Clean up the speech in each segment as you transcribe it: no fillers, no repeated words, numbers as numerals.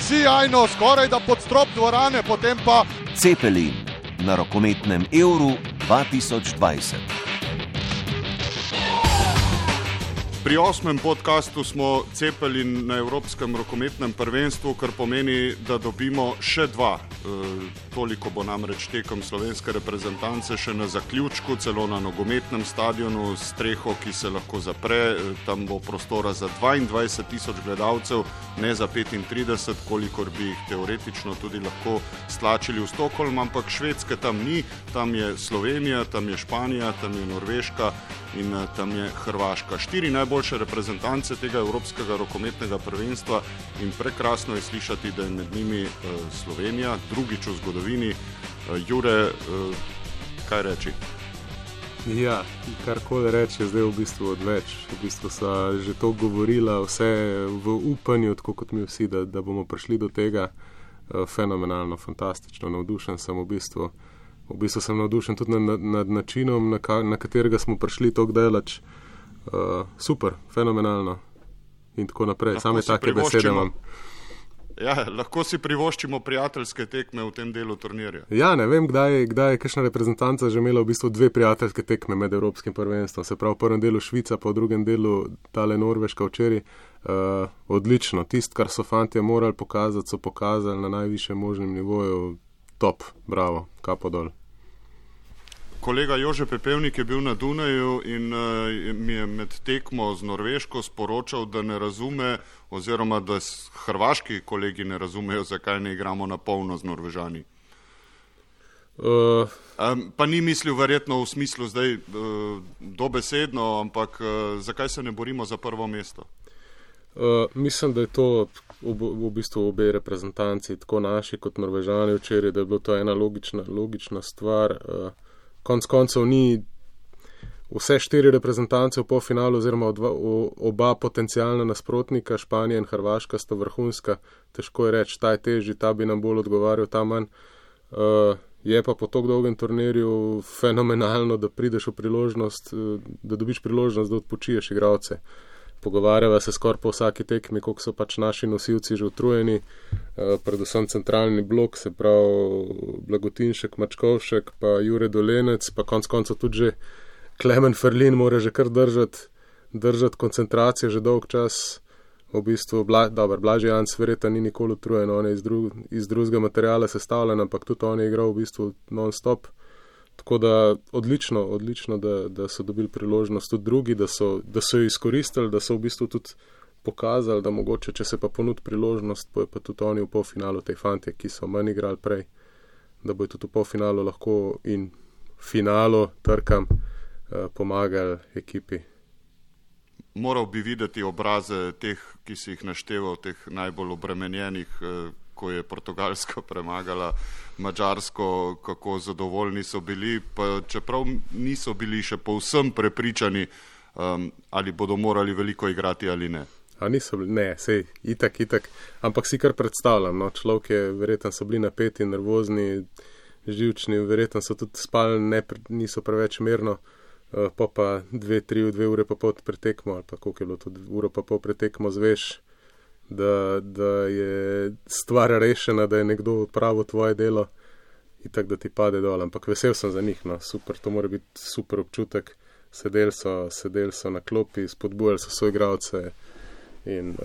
sijajno, skoraj da pod strop dvorane, potem pa Cepelin na rokometnem Euru 2020. Pri 8. podcastu smo Cepelin na Evropskem rokometnem prvenstvu, kar pomeni, da dobimo še 2. Toliko bo namreč tekom slovenske reprezentance še na zaključku, celo na nogometnem stadionu s streho, ki se lahko zapre. Tam bo prostora za 22,000 gledalcev, ne za 35, kolikor bi jih teoretično tudi lahko stlačili v Stockholm, ampak Švedske tam ni, tam je Slovenija, tam je Španija, tam je Norveška in tam je Hrvaška. 4 najboljše reprezentance tega Evropskega rokometnega prvenstva in prekrasno je slišati, da je med njimi Slovenija, drugič v zgodovini. Jure, kaj reči? Ja, karkoli reči, je zdaj v bistvu odveč. V bistvu so že to govorila, vse v upanju, tako kot mi vsi, da bomo prišli do tega. Fenomenalno, fantastično, navdušen sem v bistvu. V bistvu sem navdušen tudi nad načinom, na katerega smo prišli tako daleč. Super, fenomenalno in tako naprej. Same take besede imam. Ja, lahko si privoščimo prijateljske tekme v tem delu turnirja. Ja, ne vem, kdaj je kakšna reprezentanca že imela v bistvu 2 prijateljske tekme med Evropskim prvenstvom. Se pravi, v prvem delu Švica, pa v drugem delu tale Norveška včeraj. Odlično, tisto, kar so fantje morali pokazati, so pokazali na najvišjem možnem nivoju. Top, bravo, kapo dol. Kolega Jože Pepevnik je bil na Dunaju in mi je med tekmo z Norveško sporočal, da ne razume, oziroma da hrvaški kolegi ne razumejo, zakaj ne igramo na polno z Norvežani. Pa ni mislil verjetno v smislu zdaj dobesedno, ampak zakaj se ne borimo za prvo mesto? Mislim, da je to v bistvu obe reprezentanci, tako naši kot Norvežani včeraj, da je bilo to ena logična stvar. Konec koncev ni vse 4 reprezentance v polfinalu oziroma oba potencialna nasprotnika, Španija in Hrvaška, sta vrhunska. Težko je reči, ta je težji, ta bi nam bolj odgovarjal, ta manj. Je pa po tako dolgem turnirju fenomenalno, da prideš v priložnost, da dobiš priložnost, da odpočiješ igralce. Pogovarjava se skoraj po vsaki tekmi, koliko so pač naši nosilci že utrujeni, predvsem centralni blok, se pravi Blagotinšek, Mačkovšek, pa Jure Dolenec, pa konec koncev tudi že Klemen Ferlin mora že kar držati koncentracijo že dolg čas. V bistvu, Blažej Janc verjetno ni nikoli utrujen, on je iz drugega materiala sestavljen, ampak tudi on je igral v bistvu non-stop. Tako da odlično, da so dobili priložnost tudi drugi, da so jo izkoristili, da so v bistvu tudi pokazali, da mogoče, če se pa ponudi priložnost, pa je pa tudi oni v polfinalu, te fantje, ki so manj igrali prej, da bojo tudi v polfinalu lahko in finalu trkam pomagali ekipi. Moral bi videti obraze teh, ki si jih našteval, teh najbolj obremenjenih, ko je Portugalska premagala Madžarsko, kako zadovoljni so bili, pa čeprav niso bili še povsem prepričani, ali bodo morali veliko igrati ali ne. A niso bili, ne, sej, itak, ampak si kar predstavljam, no, človek je, verjetno so bili napeti, nervozni, živčni, verjetno so tudi spali, niso preveč mirno, pa 2 ure pa pol pretekmo, ali pa koliko je bilo tudi uro pa pol pretekmo, zveš, da je stvar rešena, da je nekdo odpravil tvoje delo in tako, da ti pade dol. Ampak vesel sem za njih, no, super, to mora biti super občutek. Sedeli so na klopi, spodbujali so svoje igralce in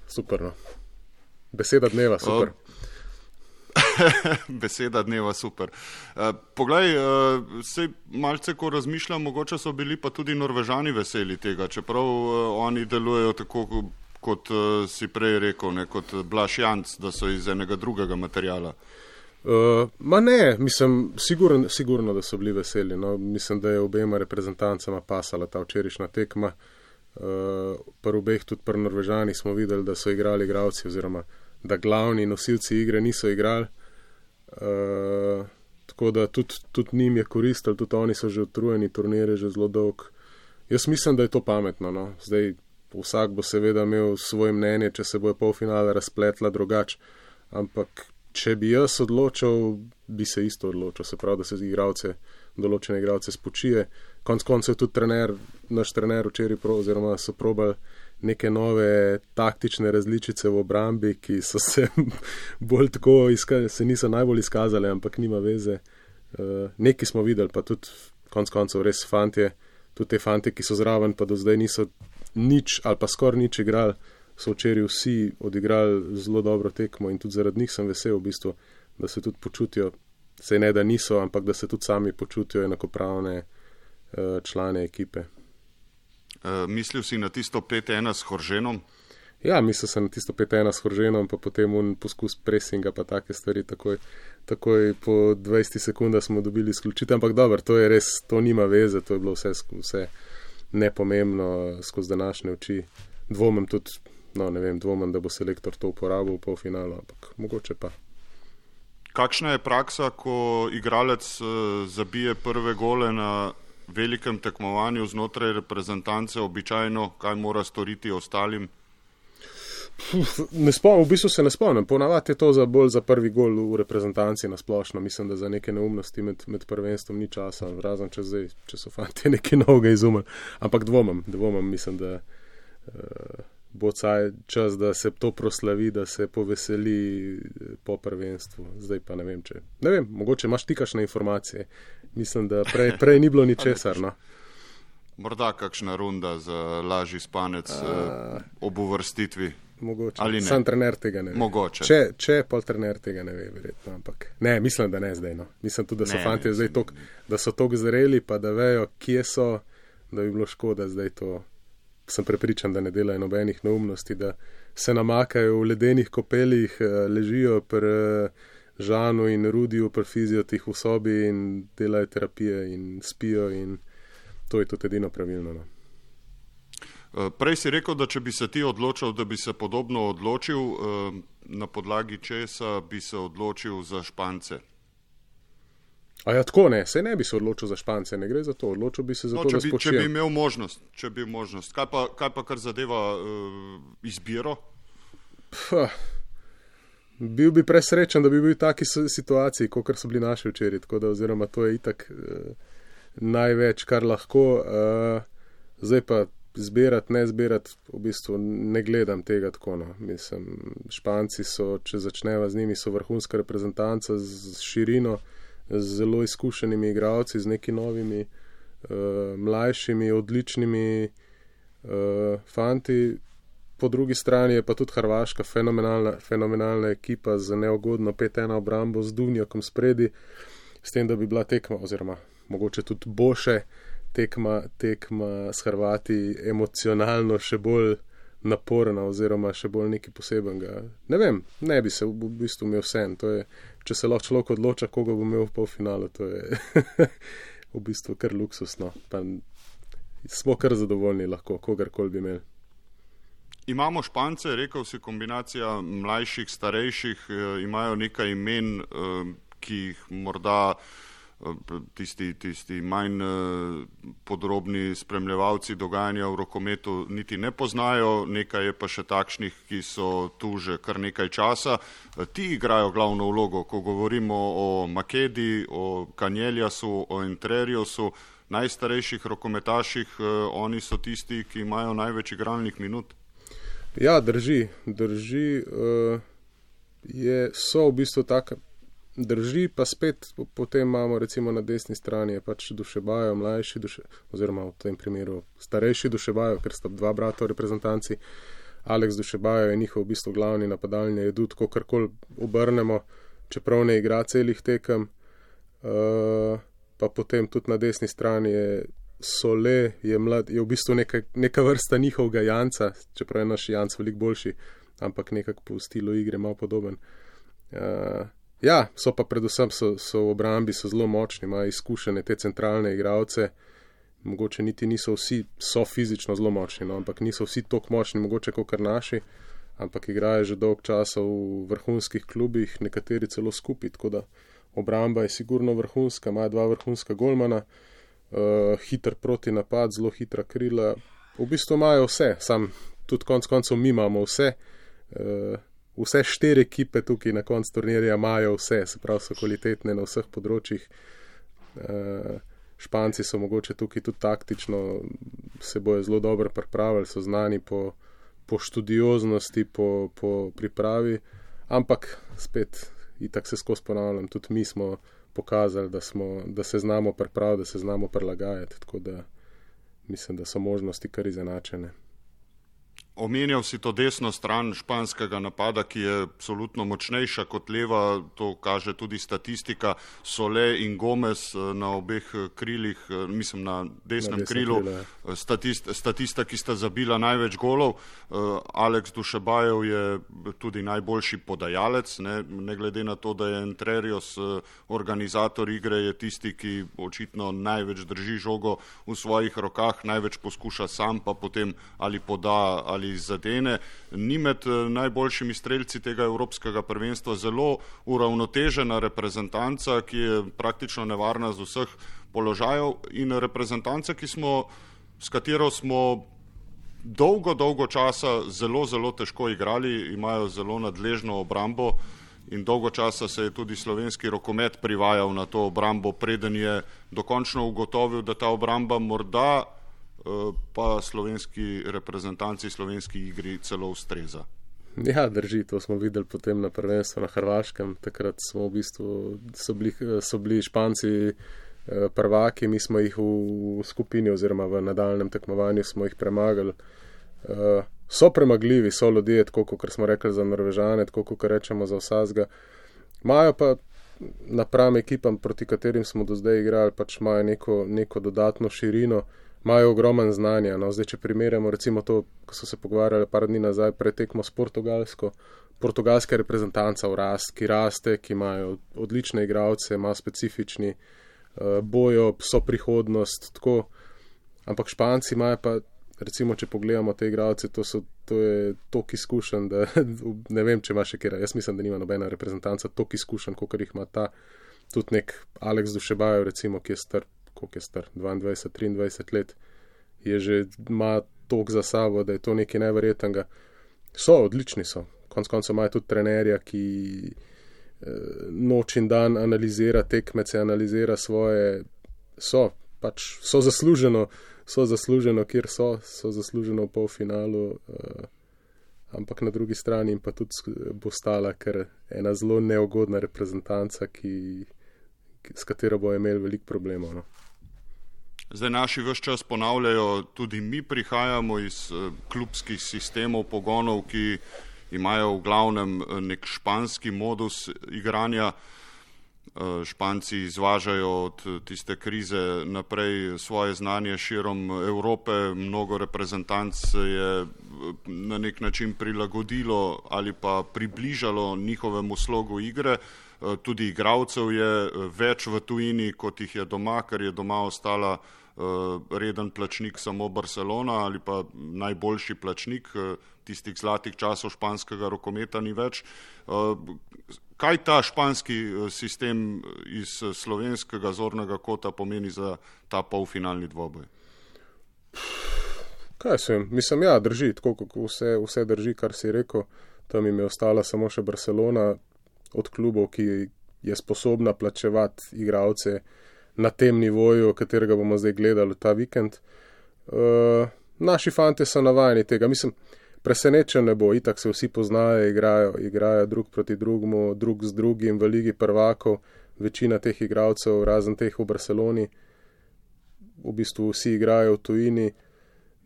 super, no. Beseda dneva, super. Beseda dneva, super. Poglej, sej malce, ko razmišljam, mogoče so bili pa tudi Norvežani veseli tega, čeprav oni delujejo tako, kot si prej rekel, ne, kot Blaž Janc, da so iz enega drugega materiala. Ma ne, mislim, sigurno, da so bili veseli. No. Mislim, da je obema reprezentancama pasala ta včerajšnja tekma. Pri obeh, tudi pri Norvežanih smo videli, da so igrali igralci, oziroma da glavni nosilci igre niso igrali. Tako da tudi njim je koristilo, tudi oni so že utrujeni, turnir je že zelo dolg. Jaz mislim, da je to pametno. No. Zdaj, vsak bo seveda imel svoje mnenje, če se bojo polfinale razpletla drugače, ampak če bi jaz odločil, bi se isto odločil, se pravi, da se določene igralce spočije. Konec koncev tudi naš trener včeraj oziroma so probali neke nove taktične različice v obrambi, ki so se bolj tako se niso najbolj izkazali, ampak nima veze. Nekaj smo videli, pa tudi konc koncev res fantje, tudi te fantje, ki so zraven, pa do zdaj niso nič ali pa skoraj nič igrali, so včeraj vsi odigrali zelo dobro tekmo in tudi zaradi njih sem vesel v bistvu, da se tudi počutijo, saj ne da niso, ampak da se tudi sami počutijo enakopravne člane ekipe. Mislil si na tisto 5-1 s Horženom? Ja, mislil sem na tisto 5-1 s Horženom, pa potem poskus presinga, pa take stvari, takoj po 20 sekundah smo dobili izključitev, ampak dobro, to je res, to nima veze, to je bilo vse nepomembno skozi današnje oči. Dvomim tudi, dvomim, da bo selektor to uporabil v polfinalu, ampak mogoče pa. Kakšna je praksa, ko igralec zabije prve gole na velikem tekmovanju znotraj reprezentance, običajno, kaj mora storiti ostalim? V bistvu se ne spomnim. Ponavadi je to bolj za prvi gol v reprezentanci nasplošno. Mislim, da za neke neumnosti med prvenstvom ni časa, razen če so fanti nekaj novega izumili. Ampak dvomim, mislim, da bo čas, da se to proslavi, da se poveseli po prvenstvu. Zdaj pa ne vem, mogoče imaš ti kakšne informacije. Mislim, da prej ni bilo ničesar, no. Morda kakšna runda za lažji spanec ob uvrstitvi. Mogoče, sam trener tega ne ve. Mogoče. Če pol trener tega ne ve, verjetno, ampak ne, mislim, da ne zdaj, no. Mislim tudi, da so fanti zdaj da so toliko zreli, pa da vejo, kje so, da bi bilo škoda zdaj to. Sem prepričan, da ne delajo nobenih neumnosti, da se namakajo v ledenih kopeljih, ležijo pri Žanu in Rudiju, pri fiziotih v sobi in delajo terapije in spijo in to je tudi edino pravilno, no. Prej si rekel, da če bi se ti odločil, da bi se podobno odločil, na podlagi česa bi se odločil za Špance? A ja, tako ne, se ne bi se odločil za Špance, ne gre za to, odločil bi se za to, da spočijem. Če bi imel možnost, kaj pa kar zadeva izbiro? Bil bi presrečen, da bi bil v taki situaciji, kot so bili naši včeraj, tako da oziroma to je itak največ, kar lahko. Zdaj pa zbirati, ne zbirati, v bistvu ne gledam tega tako, no. Mislim, Španci so, če začneva z njimi, so vrhunska reprezentanca z širino, z zelo izkušenimi igralci, z neki novimi, mlajšimi, odličnimi fanti. Po drugi strani je pa tudi Hrvaška fenomenalna ekipa z neugodno 5-1 obrambo z Duvnjakom spredi, s tem, da bi bila tekma, oziroma mogoče tudi boljše tekma s Hrvati emocionalno še bolj naporna oziroma še bolj nekaj posebenega. Ne vem, ne bi se v bistvu imel vsem. To je, če se lahko človek odloča, koga bo imel v polfinalu, to je v bistvu kar luksusno. Pa smo kar zadovoljni lahko, kogarkoli bi imeli. Imamo Špance, rekel si, kombinacija mlajših, starejših, imajo nekaj imen, ki jih morda tisti manj podrobni spremljevalci dogajanja v rokometu niti ne poznajo, nekaj je pa še takšnih, ki so tu že kar nekaj časa. Ti igrajo glavno vlogo, ko govorimo o Makedi, o Kanjeljasu, o Entreriosu, najstarejših rokometaših, oni so tisti, ki imajo največ igralnih minut. Ja, drži, so v bistvu taka. Drži, pa spet potem imamo recimo na desni strani je pač Dušebajo, mlajši oziroma v tem primeru starejši Dušebajo, ker sta dva brata v reprezentanci. Alex Dušebajo je njihov v bistvu glavni napadalni jedut, kogarkoli obrnemo, čeprav ne igra celih tekem. Pa potem tudi na desni strani je Sole, je mlad, je v bistvu neka vrsta njihovega Janca, čeprav je naš Janc veliko boljši, ampak nekako po stilu igre malo podoben. Ja, so pa predvsem so v obrambi so zelo močni, imajo izkušene te centralne igralce, mogoče niti niso vsi, so fizično zelo močni, no, ampak niso vsi toliko močni, mogoče kot naši, ampak igrajo že dolg časa v vrhunskih klubih, nekateri celo skupaj, tako da obramba je sigurno vrhunska, imajo dva vrhunska golmana, hiter protinapad, zelo hitra krila, v bistvu imajo vse, sam tudi konec koncev mi imamo vse, vse 4 ekipe tukaj na koncu turnirja imajo vse, se pravi so kvalitetne na vseh področjih. Španci so mogoče tukaj tudi taktično, se bojo zelo dobro pripravili, so znani po po študioznosti, po pripravi, ampak spet, itak se skozi ponavljam, tudi mi smo pokazali, da se znamo pripraviti, da se znamo prilagajati, tako da mislim, da so možnosti kar izenačene. Omenjal si to desno stran španskega napada, ki je absolutno močnejša kot leva, to kaže tudi statistika. Sole in Gomez na obeh krilih, mislim na desnem krilu, statista, ki sta zabila največ golov. Alex Dušebajev je tudi najboljši podajalec, ne glede na to, da je Entrerios organizator igre, je tisti, ki očitno največ drži žogo v svojih rokah, največ poskuša sam, pa potem ali poda ali zadene. Ni med najboljšimi strelci tega evropskega prvenstva zelo uravnotežena reprezentanca, ki je praktično nevarna z vseh položajev, in reprezentanca, s katero smo dolgo časa zelo težko igrali, imajo zelo nadležno obrambo in dolgo časa se je tudi slovenski rokomet privajal na to obrambo, preden je dokončno ugotovil, da ta obramba morda pa slovenski reprezentanci, slovenski igri celo ustreza. Ja, drži, to smo videli potem na prvenstvu na Hrvaškem. Takrat smo v bistvu, so bili Španci prvaki, mi smo jih v skupini oziroma v nadaljnem tekmovanju smo jih premagali. So premagljivi, so ljudje, tako kot smo rekli za Norvežane, tako kot rečemo za vsazga. Imajo pa napram ekipam, proti katerim smo do zdaj igrali, pač imajo neko dodatno širino, imajo ogromen znanja. No, zdaj, če primerjamo recimo to, ko so se pogovarjali par dni nazaj pred tekmo s portugalska reprezentanca ki raste, ki imajo odlične igralce, ima specifični bojo, so prihodnost, tako. Ampak Španci imajo pa, recimo, če pogledamo te igralce, to je toliko izkušenj, da ne vem, če ima še kera. Jaz mislim, da nima nobena reprezentanca toliko izkušenj, kot jih ima ta. Tudi nek Alex Dušebajev, recimo, ki je star, 22-23 let, ima toliko za sabo, da je to nekaj neverjetnega. Odlični so. Konec koncev imajo tudi trenerja, ki noč in dan analizira tekmece, analizira svoje, so zasluženo, kjer so zasluženo v polfinalu, ampak na drugi strani pa tudi bo stala kar ena zelo neugodna reprezentanca, s katero bo imel veliko problemov. No. Zdaj naši ves čas ponavljajo, tudi mi prihajamo iz klubskih sistemov pogonov, ki imajo v glavnem nek španski modus igranja. Španci izvažajo od tiste krize naprej svoje znanje širom Evrope, mnogo reprezentanc se je na nek način prilagodilo ali pa približalo njihovemu slogu igre. Tudi igralcev je več v tujini, kot jih je doma, ker je doma ostala reden plačnik samo Barcelona ali pa najboljši plačnik, tistih zlatih časov španskega rokometa ni več. Kaj ta španski sistem iz slovenskega zornega kota pomeni za ta polfinalni dvoboj? Kaj sem? Mislim, ja, drži, tako kot vse drži, kar si rekel. Tam jim je ostala samo še Barcelona od klubov, ki je sposobna plačevati igralce na tem nivoju, katerega bomo zdaj gledali ta vikend. Naši fante so navajeni tega. Mislim, presenečen ne bo, itak se vsi poznajo, igrajo drug proti drugemu, drug z drugim v Ligi prvakov. Večina teh igralcev, razen teh v Barceloni, v bistvu vsi igrajo v tujini.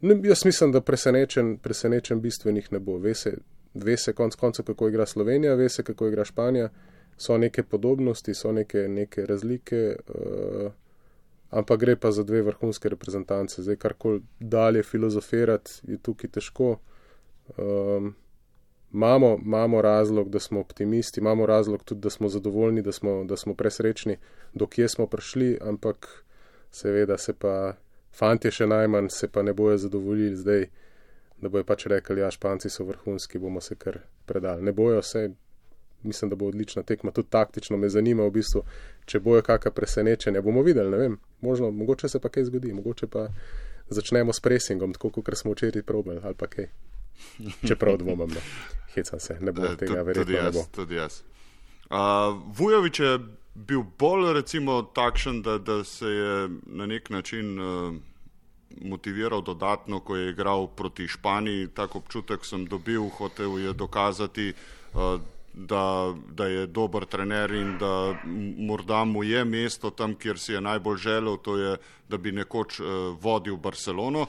Jaz mislim, da presenečen bistvenih ne bo. Ve se konec koncev, kako igra Slovenija, ve se, kako igra Španija. So neke podobnosti, so neke razlike, ampak gre pa za dve vrhunske reprezentance. Zdaj, karkoli dalje filozofirati, je tukaj težko. Imamo razlog, da smo optimisti, imamo razlog tudi, da smo zadovoljni, da smo presrečni, do kje smo prišli, ampak seveda se pa fantje še najmanj se pa ne bojo zadovoljili zdaj, da bojo pač rekli, ja, Španci so vrhunski, bomo se kar predali. Ne bojo se, mislim, da bo odlična tekma, tudi taktično me zanima v bistvu, če bojo kakšna presenečenja, bomo videli, ne vem, mogoče se pa kaj zgodi, mogoče pa začnemo s presingom, tako kot smo včeraj probali, ali pa kaj. Čeprav dvomam, ne. Hecam se, ne bo tega, verjetno ne bo. Tudi jaz. Vujović je bil bolj recimo takšen, da se je na nek način motiviral dodatno, ko je igral proti Španiji. Tak občutek sem dobil, hotel je dokazati, da je dober trener in da morda mu je mesto tam, kjer si je najbolj želel, to je, da bi nekoč vodil Barcelono.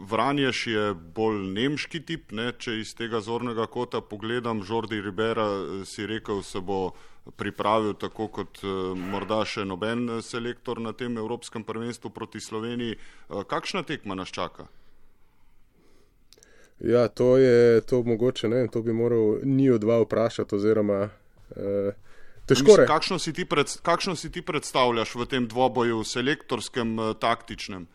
Vranješ je bolj nemški tip, ne? Če iz tega zornega kota pogledam, Jordi Ribera si rekel, se bo pripravil tako kot morda še noben selektor na tem Evropskem prvenstvu proti Sloveniji. Kakšna tekma nas čaka? Ja, to mogoče, ne, to bi moral njiju dva vprašati, oziroma težko reči. Kakšno si ti predstavljaš v tem dvoboju selektorskem, taktičnem?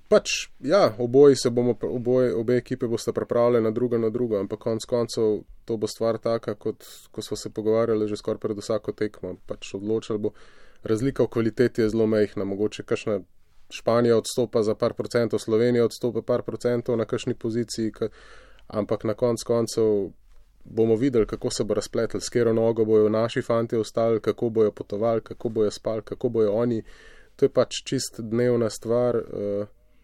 Pač, ja, obe ekipe boste pripravljene na drugo, ampak konec koncev to bo stvar taka, kot ko smo se pogovarjali že skoraj pred vsako tekmo. Pač odločali bo, razlika v kvaliteti je zelo majhna, mogoče kakšna Španija odstopa za par procentov, Slovenija odstopa par procentov na kakšni poziciji, ampak na konec koncev bomo videli, kako se bo razpletel, s katero nogo bojo naši fantje ostali, kako bojo potovali, kako bojo spali, kako bojo oni. To je pač čist dnevna stvar.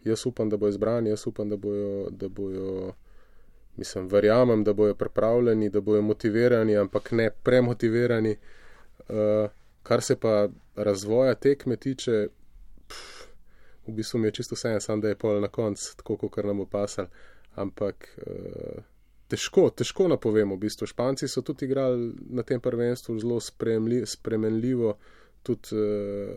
Jaz upam, da bojo izbrani, jaz upam, da bojo, mislim, verjamem, da bojo pripravljeni, da bojo motivirani, ampak ne premotivirani. Kar se pa razvoja tekme tiče, v bistvu mi je čisto vseeno, samo da je pol na konc, tako kot nam bo pasal, ampak težko napovemo. V bistvu Španci so tudi igrali na tem prvenstvu zelo spremenljivo, tudi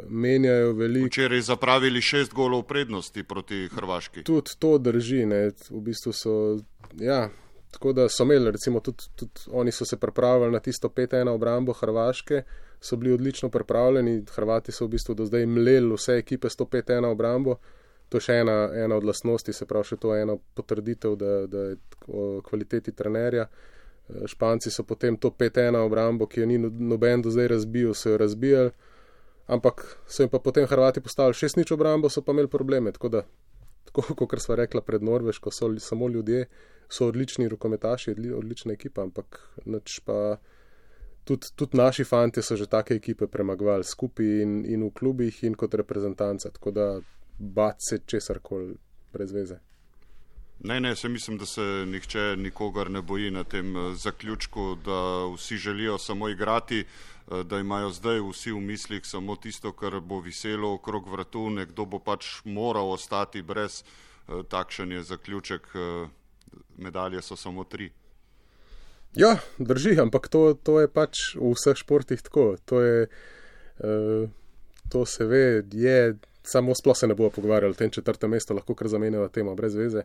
menjajo veliko. Včeraj zapravili 6 golov prednosti proti Hrvaški. Tudi to drži, ne, v bistvu so, ja, tako da so imeli, recimo tudi oni so se pripravili na tisto 5-1 obrambo Hrvaške, so bili odlično pripravljeni, Hrvati so v bistvu do zdaj mleli vse ekipe s to 5-1 obrambo, to je še ena od lastnosti, se pravi še to ena potrditev, da je o kvaliteti trenerja. Španci so potem to 5-1 obrambo, ki jo ni noben do zdaj razbil, so jo razbijali, ampak so jim pa potem Hrvati postavili 6-0 obrambo, so pa imeli probleme, tako kot sva rekla pred Norveško, so samo ljudje, so odlični rokometaši, odlična ekipa, ampak nič pa tudi naši fantje so že take ekipe premagovali skupaj in v klubih in kot reprezentanca, tako da bat se česarkoli brez veze. Ne, se mislim, da se nihče nikogar ne boji na tem zaključku, da vsi želijo samo igrati, da imajo zdaj vsi v mislih samo tisto, kar bo viselo okrog vratu, nekdo bo pač moral ostati brez, takšen je zaključek, medalje so samo 3. Ja, drži, ampak to je pač v vseh športih tako, to se ve, je, samo sploh se ne bomo pogovarjali o tem 4. mestu, lahko kar zamenjava tema brez veze.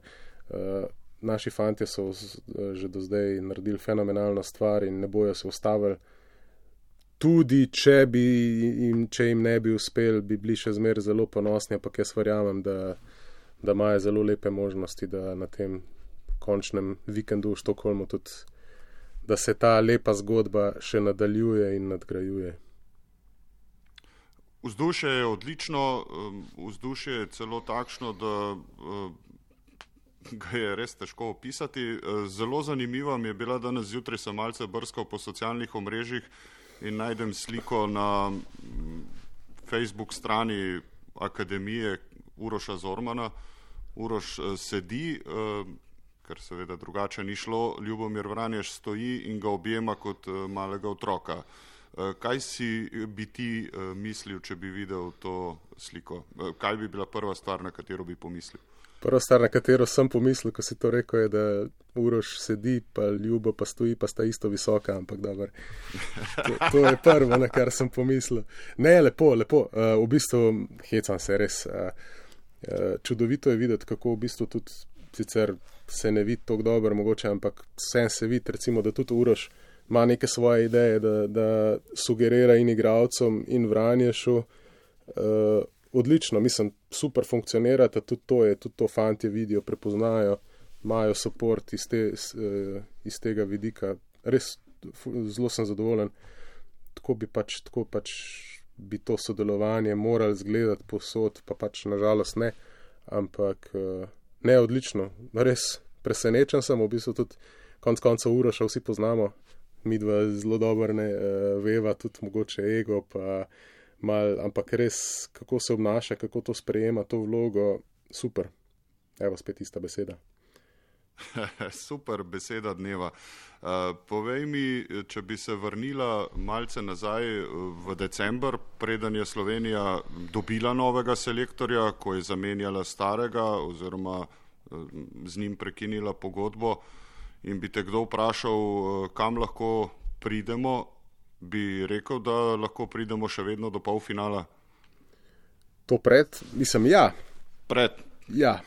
Naši fantje so že do zdaj naredili fenomenalno stvar in ne bojo se ustavili. Tudi če jim ne bi uspel, bi bili še zmeraj zelo ponosni, ampak jaz verjamem, da imajo zelo lepe možnosti, da na tem končnem vikendu v Štokholmu tudi, da se ta lepa zgodba še nadaljuje in nadgrajuje. Vzdušje je odlično, vzdušje je celo takšno, da ga je res težko opisati. Zelo zanimiva mi je bila danes zjutraj, sem malce brskal po socialnih omrežjih in najdem sliko na Facebook strani Akademije Uroša Zormana. Uroš sedi, ker seveda drugače ni šlo, Ljubomir Vranješ stoji in ga objema kot malega otroka. Kaj bi ti mislil, če bi videl to sliko? Kaj bi bila prva stvar, na katero bi pomislil? Prva stvar, na katero sem pomislil, ko si to rekel, je, da Uroš sedi, pa Ljubo pa stoji, pa sta isto visoka, ampak dobro. To je prvo, na kar sem pomislil. Ne, lepo. V bistvu, hecam se res. Čudovito je videti, kako v bistvu tudi sicer se ne vidi tako dobro mogoče, ampak vsem se vidi, recimo, da tudi Uroš ima neke svoje ideje, da sugerira in igralcem in Vranješu. Odlično, mislim, super funkcionirata, tudi to fantje vidijo, prepoznajo, imajo support iz tega vidika. Res zelo sem zadovoljen. Tako pač bi to sodelovanje morali zgledati posod, pa pač nažalost ne, ampak ne, odlično. Res presenečen sem, v bistvu tudi konec konca Uroša vsi poznamo, midva zelo dobro veva, tudi mogoče ego, pa ampak res, kako se obnaša, kako to sprejema, to vlogo, Super. Evo, spet ista beseda. Super beseda dneva. Povej mi, če bi se vrnila malce nazaj v december, preden je Slovenija dobila novega selektorja, ko je zamenjala starega oziroma z njim prekinila pogodbo in bi te kdo vprašal, kam lahko pridemo, bi rekel, da lahko pridemo še vedno do polfinala? To ja. Ja.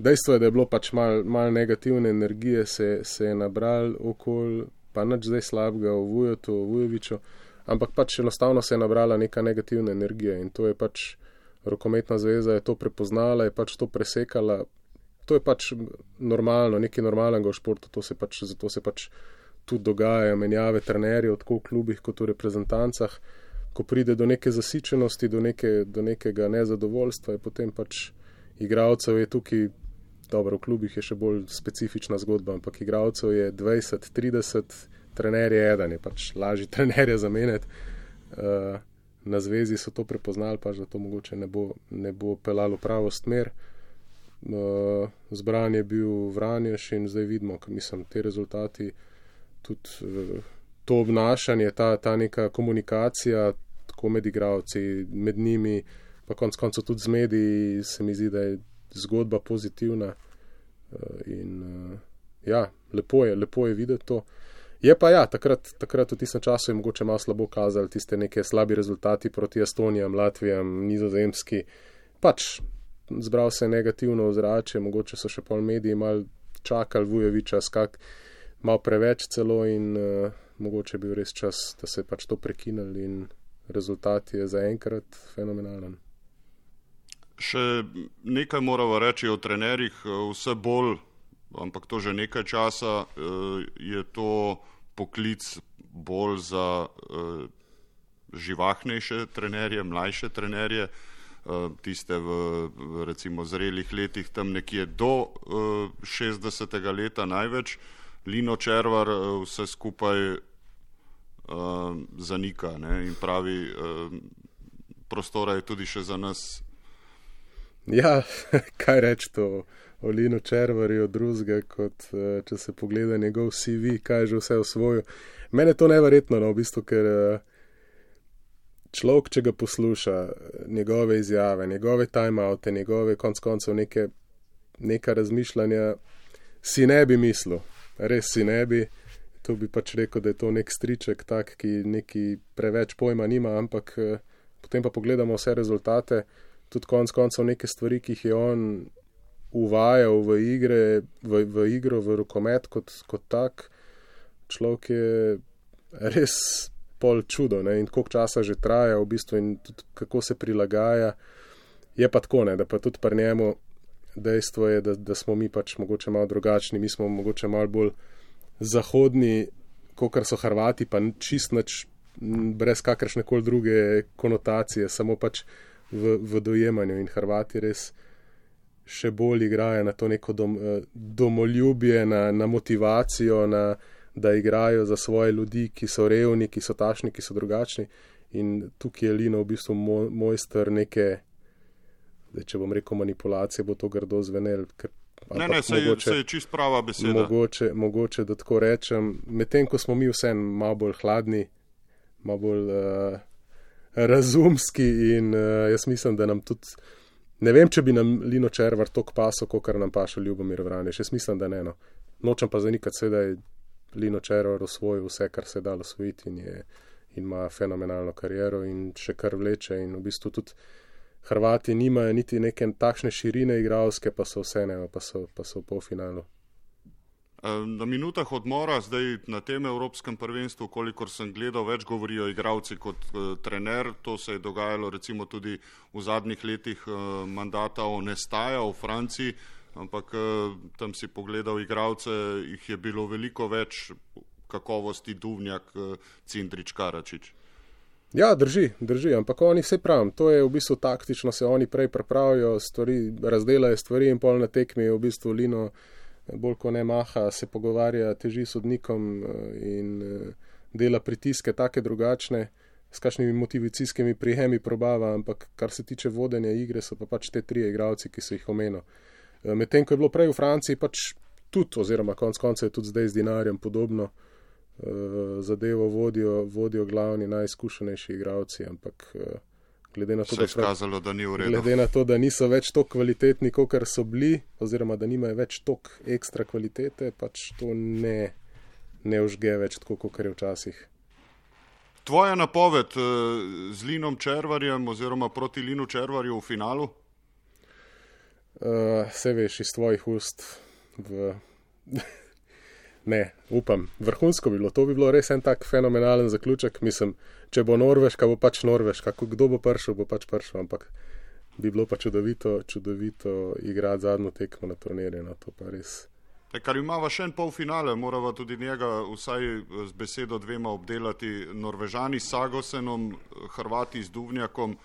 Dejstvo je, da je bilo pač malo negativne energije, se je nabral okoli, pa nič zdaj slabega o Vujotu, o Vujoviću, ampak pač enostavno se je nabrala neka negativna energija in to je pač rokometna zveza je to prepoznala, je pač to presekala. To je pač normalno, nekaj normalnega v športu, zato se pač tudi dogajajo menjave trenerjev, tako v klubih kot v reprezentancah. Ko pride do neke zasičenosti, do nekega nezadovoljstva, je potem pač igralcev je tukaj, dobro, v klubih je še bolj specifična zgodba, ampak igralcev je 20, 30, trener je eden, je pač lažji trenerje zamenjati. Na zvezi so to prepoznali, pač da to mogoče ne bo pelalo pravo smer. Zbran je bil Vranješ in zdaj vidimo, mislim, te rezultati, tudi to obnašanje, ta neka komunikacija, tako med igralci, med njimi, pa konec koncev tudi z mediji, se mi zdi, da je zgodba pozitivna in ja, lepo je videti to. Je pa ja, takrat v tistem času je mogoče malo slabo kazali tiste neke slabi rezultati proti Estonijam, Latvijam, Nizozemski. Pač zbral se je negativno ozračje, mogoče so še pol mediji malo čakali Vujovića, malo preveč celo in mogoče je bil res čas, da se je pač to prekinili in rezultat je zaenkrat fenomenalen. Še nekaj moramo reči o trenerjih, vse bolj, ampak to že nekaj časa, je to poklic bolj za živahnejše trenerje, mlajše trenerje, tiste v recimo zrelih letih, tam nekje do 60. leta največ. Lino Červar vse skupaj zanika, ne, in pravi, prostora je tudi še za nas. Ja, kaj reči to o Linu Červarju drugega, kot če se pogleda njegov CV, kaj je že vse osvojil. Mene je to neverjetno, no, v bistvu, ker človek, če ga posluša, njegove izjave, njegove time-oute, njegove konc koncev neka razmišljanja, si ne bi mislil, res si ne bi. To bi pač rekel, da je to nek striček tak, ki neki preveč pojma nima, ampak potem pa pogledamo vse rezultate, tudi konc koncev neke stvari, ki jih je on uvajal v igro, v rokomet kot tak. Človek je res pol čudo, ne, in koliko časa že traja v bistvu in tudi kako se prilagaja. Je pa tako, ne, da pa tudi pri njemu dejstvo je, da smo mi pač mogoče malo drugačni, mi smo mogoče malo bolj zahodni, kakor so Hrvati, pa čist nič, brez kakršnekoli druge konotacije, samo pač v dojemanju, in Hrvati res še bolj igrajo na to neko domoljubje, na motivacijo, da igrajo za svoje ljudi, ki so revni, ki so takšni, ki so drugačni, in tukaj je Lino v bistvu mojster neke, če bom rekel manipulacije, bo to grdo zvenel, Ne, se je čist prava beseda. Mogoče, da tako rečem, medtem ko smo mi vsem malo bolj hladni, malo bolj razumski in jaz mislim, da nam tudi, ne vem, če bi nam Lino Červar toliko pasal, kakor nam paša Ljubomir Vranješ, jaz mislim, da ne, no. Nočem pa zanikati se, da je Lino Červar osvojil vse, kar se je dalo osvojiti in ima fenomenalno kariero in še kar vleče in v bistvu tudi Hrvati nimajo niti neke takšne širine igralske, pa so vse, ne, pa so v polfinalu. Na minutah odmora, zdaj na tem evropskem prvenstvu, kolikor sem gledal, več govorijo igralci kot trener. To se je dogajalo recimo tudi v zadnjih letih mandata Onestaja v Franciji, ampak tam si pogledal igralce, jih je bilo veliko več kakovosti Duvnjak, Cindrić, Karačić. Ja, drži, ampak oni vse pravim, to je v bistvu taktično, se oni prej pripravijo stvari, razdelajo stvari in pol na tekmi je v bistvu Lino bolj ko ne maha, se pogovarja, teži sodnikom in dela pritiske take drugačne, s kakšnimi motivacijskimi prijemi probava, ampak kar se tiče vodenja igre, so pa pač te 3 igralci, ki so jih omenil. Medtem, ko je bilo prej v Franciji, pač tudi, oziroma konec konca je tudi zdaj z Dinarjem podobno, zadevo vodijo glavni, najizkušenejši igralci, ampak glede na to, glede na to, da niso več toliko kvalitetni, kot so bili, oziroma da nimajo več toliko ekstra kvalitete, pač to ne užge več tako, kot je včasih. Tvoja napoved z Linom Červarjem oziroma proti Linu Červarju v finalu? Se veš, iz tvojih ust ne, upam. Vrhunsko bi bilo. To bi bilo res en tak fenomenalen zaključek. Mislim, če bo Norveška, bo pač Norveška. Kdo bo prišel, bo pač prišel. Ampak bi bilo pa čudovito igrati zadnjo tekmo na turnirju. No, to pa res. Kar imava še en polfinale, morava tudi njega vsaj z besedo 2 obdelati. Norvežani s Sagosenom, Hrvati z Duvnjakom.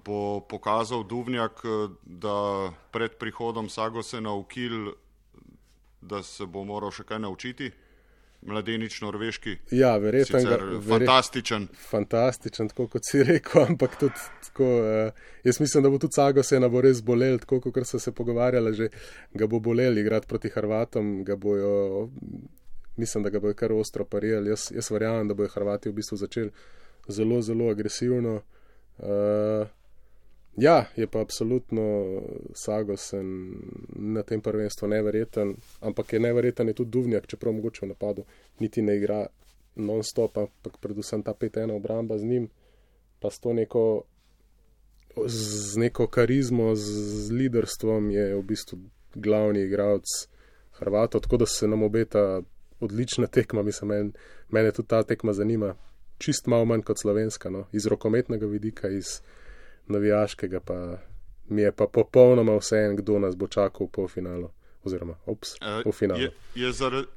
Bo pokazal Duvnjak, da pred prihodom Sagosena v Kiel, da se bo moral še kaj naučiti? Mladenič norveški. Ja, fantastičen. Fantastičen, tako kot si rekel, ampak tudi tako, jaz mislim, da bo tudi Sagosena bo res bolel, tako kot so se pogovarjali, že ga bo bolel igrati proti Hrvatom, mislim, da ga bojo kar ostro parirali. Jaz verjamem, da bojo Hrvati v bistvu začeli zelo, zelo agresivno. Ja, je pa absolutno Sagosen na tem prvenstvu neverjeten, ampak je neverjeten je tudi Duvnjak, čeprav mogoče v napadu niti ne igra non-stop, ampak predvsem ta 5-1 obramba z njim, pa s to neko karizmo, z liderstvom je v bistvu glavni igralec Hrvatov, tako da se nam obeta odlična tekma, mislim, mene tudi ta tekma zanima, čist malo manj kot slovenska, no, iz rokometnega vidika, iz navijaškega, pa mi je pa popolnoma vseeno, kdo nas bo čakal v polfinalu, oziroma v finalu.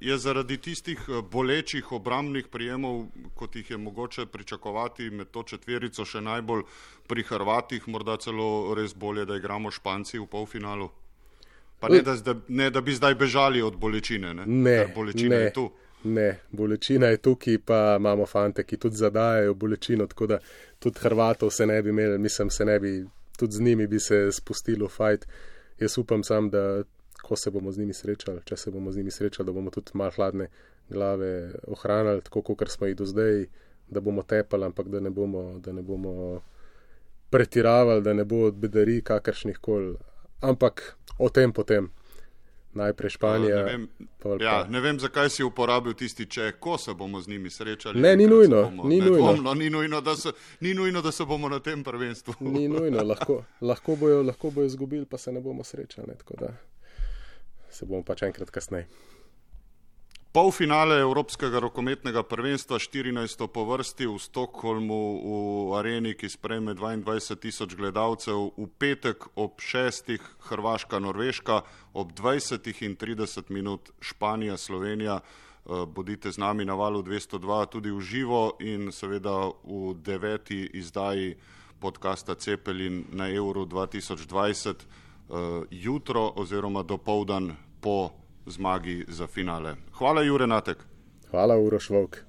Je zaradi tistih bolečih obrambnih prijemov, kot jih je mogoče pričakovati med to četverico, še najbolj pri Hrvatih, morda celo res bolje, da igramo Španci v polfinalu? Pa ne, da bi zdaj bežali od bolečine, ker bolečina je tu. Ne, bolečina je tukaj, pa imamo fante, ki tudi zadajajo bolečino, tako da tudi Hrvatov se ne bi imeli, mislim, tudi z njimi bi se spustili v fajt. Jaz upam sam, da ko se bomo z njimi srečali, če se bomo z njimi srečali, da bomo tudi malo hladne glave ohranili, tako kot smo jih do zdaj, da bomo tepali, ampak da ne bomo pretiravali, da ne bo bedari kakršnih kol, ampak o tem potem. Najprej Španija. Ne vem, zakaj si uporabil tisti ko se bomo z njimi srečali. Ne, ni nujno. Ni nujno, da se bomo na tem prvenstvu. Ni nujno, lahko bojo izgubili, pa se ne bomo srečali, tako da se bomo pač enkrat kasneje. Polfinale Evropskega rokometnega prvenstva, 14. po vrsti v Stockholmu v areni, ki sprejme 22,000 gledalcev, v petek ob 6. Hrvaška-Norveška, ob 20:30 Španija, Slovenija. Bodite z nami na valu 202 tudi v živo in seveda v 9. izdaji podcasta Cepelin na Euro 2020 jutro oziroma dopoldan po zmagi za finale. Hvala, Jure Natek. Hvala, Uroš Volk.